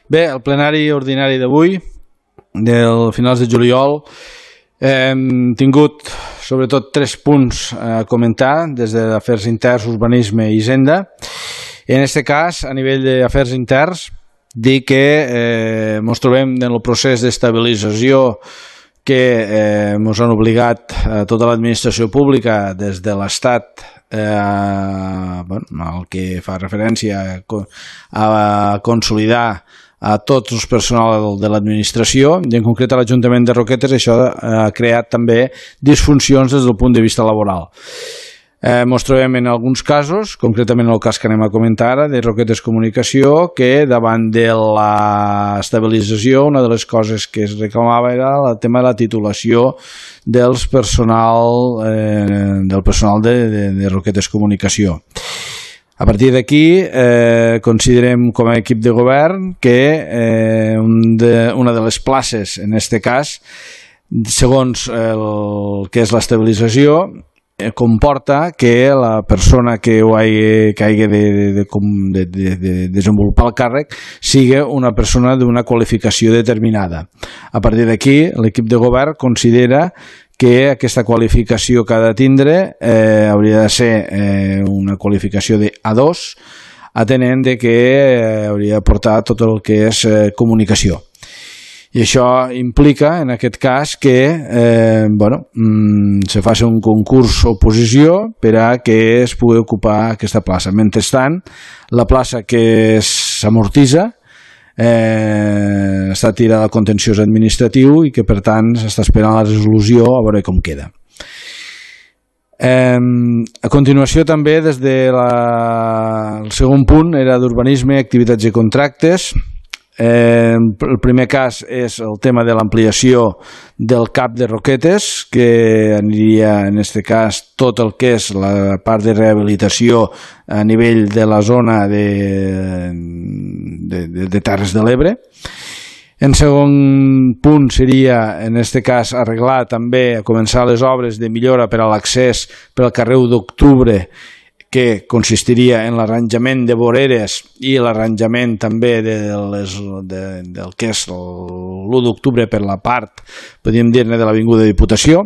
Bé, el plenari ordinari d'avui, del finals de juliol, hem tingut sobretot 3 punts a comentar des d'afers interns, urbanisme i hisenda. En aquest cas, a nivell d'afers interns, dir que ens trobem en el procés d'estabilització que ens han obligat a tota l'administració pública des de l'Estat, el que fa referència a consolidar a tots els personal de l'administració, i en concret a l'Ajuntament de Roquetes. Això ha creat també disfuncions des del punt de vista laboral. Ens trobem en alguns casos, concretament el cas que anem a comentar ara, de Roquetes Comunicació, que davant de l'estabilització una de les coses que es reclamava era el tema de la titulació del personal de Roquetes Comunicació. A partir d'aquí, considerem com a equip de govern que una de les places, en aquest cas, segons el que és l'estabilització, comporta que la persona que hagi de desenvolupar el càrrec sigui una persona d'una qualificació determinada. A partir d'aquí, l'equip de govern considera que aquesta qualificació que ha de tindre hauria de ser una qualificació de A2, atenent que hauria de portar tot el que és comunicació. I això implica, en aquest cas, que se faci un concurs oposició per a que es pugui ocupar aquesta plaça. Mentrestant, la plaça que s'amortitza està tirada al contenciós administratiu i que, per tant, s'està esperant la resolució a veure com queda. A continuació, també, des del segon punt, era d'urbanisme, activitats i contractes. El primer cas és el tema de l'ampliació del CAP de Roquetes, que aniria, en aquest cas, tot el que és la part de rehabilitació a nivell de la zona de Terres de l'Ebre. En segon punt seria, en aquest cas, arreglar també, començar les obres de millora per a l'accés per al carrer 1 d'Octubre, que consistiria en l'arranjament de voreres i l'arranjament també del que és l'1 d'octubre per la part, podríem dir-ne, de l'Avinguda Diputació.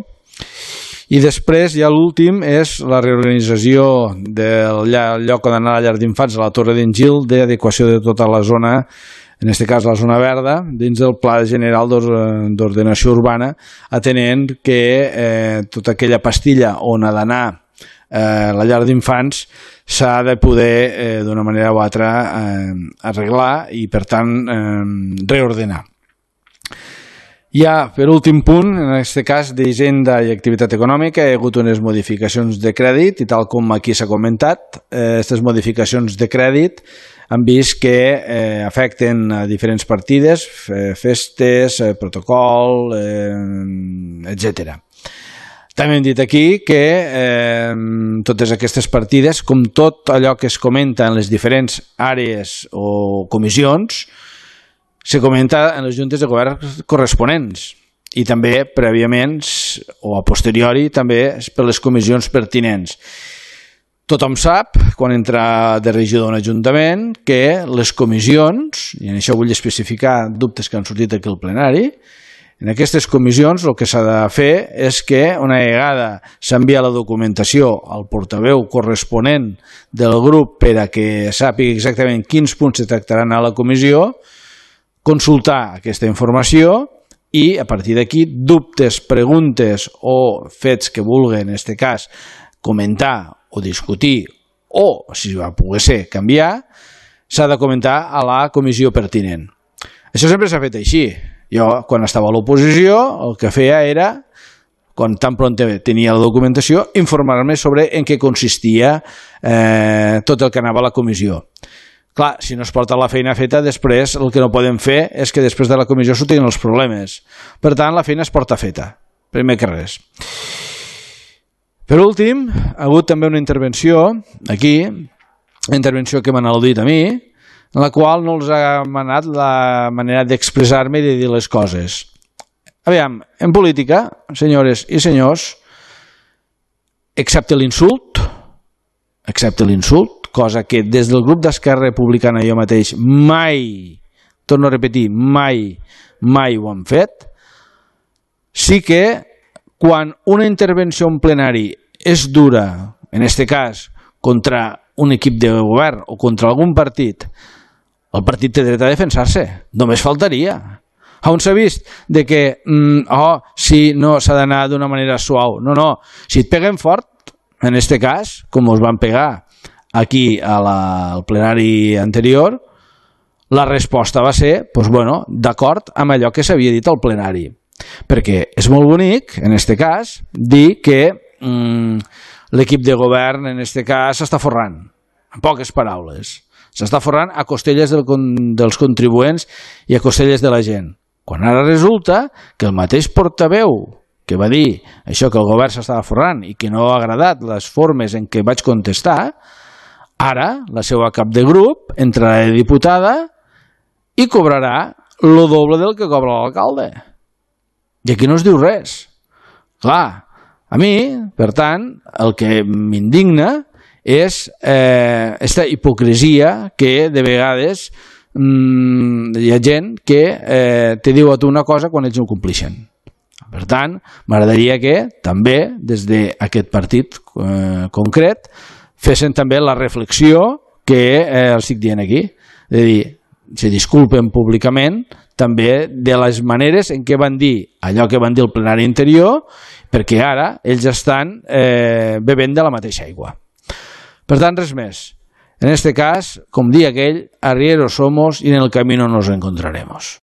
I després, ja l'últim, és la reorganització del lloc on anar a la llar d'infants a la Torre d'en Gil, d'adequació de tota la zona, en aquest cas la zona verda, dins del Pla General d'Ordenació Urbana, atenent que tota aquella pastilla on ha d'anar la llar d'infants s'ha de poder d'una manera o altra arreglar i, per tant, reordenar. Ja, per últim punt, en aquest cas d'Hisenda i Activitat Econòmica, hi ha hagut unes modificacions de crèdit i, tal com aquí s'ha comentat, aquestes modificacions de crèdit han vist que afecten a diferents partides, festes, protocol, etcètera. També hem dit aquí que totes aquestes partides, com tot allò que es comenta en les diferents àrees o comissions, se comenta en les juntes de govern corresponents i també prèviament o a posteriori també per les comissions pertinents. Tothom sap, quan entra de regidor en ajuntament, que les comissions, i en això vull especificar dubtes que han sortit aquí al plenari, en aquestes comissions el que s'ha de fer és que una vegada s'envia la documentació al portaveu corresponent del grup per a que sàpiga exactament quins punts se tractaran a la comissió, consultar aquesta informació i a partir d'aquí dubtes, preguntes o fets que vulguen, en aquest cas, comentar o discutir o, si va poder ser, canviar, s'ha de comentar a la comissió pertinent. Això sempre s'ha fet així. Jo, quan estava a l'oposició, el que feia era, quan tan pront tenia la documentació, informar-me sobre en què consistia tot el que anava a la comissió. Clar, si no es porta la feina feta, després el que no podem fer és que després de la comissió sortiguin els problemes. Per tant, la feina es porta feta, primer que res. Per últim, ha hagut també una intervenció aquí, una intervenció que m'han al·ludit a mi, en la qual no els ha manat la manera d'expressar-me i de dir les coses. Aviam, en política, senyores i senyors, excepte l'insult, cosa que des del grup d'Esquerra Republicana jo mateix mai torno a repetir, mai ho han fet. Sí que quan una intervenció en plenari és dura, en aquest cas contra un equip de govern o contra algun partit, el partit té dret a defensar-se, només faltaria. On s'ha vist de que sí, no, s'ha d'anar d'una manera suau? No, si et peguen fort, en aquest cas, com us van pegar aquí al plenari anterior, la resposta va ser, d'acord amb allò que s'havia dit al plenari. Perquè és molt bonic, en aquest cas, dir que l'equip de govern, en aquest cas, s'està forrant, en poques paraules. S'està forrant a costelles dels contribuents i a costelles de la gent. Quan ara resulta que el mateix portaveu que va dir això, que el govern s'estava forrant i que no ha agradat les formes en què vaig contestar, ara la seva cap de grup entrarà de diputada i cobrarà el doble del que cobra l'alcalde. I aquí no es diu res. Clar, a mi, per tant, el que m'indigna és aquesta hipocresia que de vegades hi ha gent que te diu a tu una cosa quan ells no complixen. Per tant, m'agradaria que també des d'aquest partit concret fessin també la reflexió que els estic dient aquí. És a dir, se disculpen públicament també de les maneres en què van dir allò que van dir al plenari anterior, perquè ara ells estan bevent de la mateixa aigua. Per tant, res més. En este cas, com dia aquell, arrieros somos y en el camino nos encontraremos.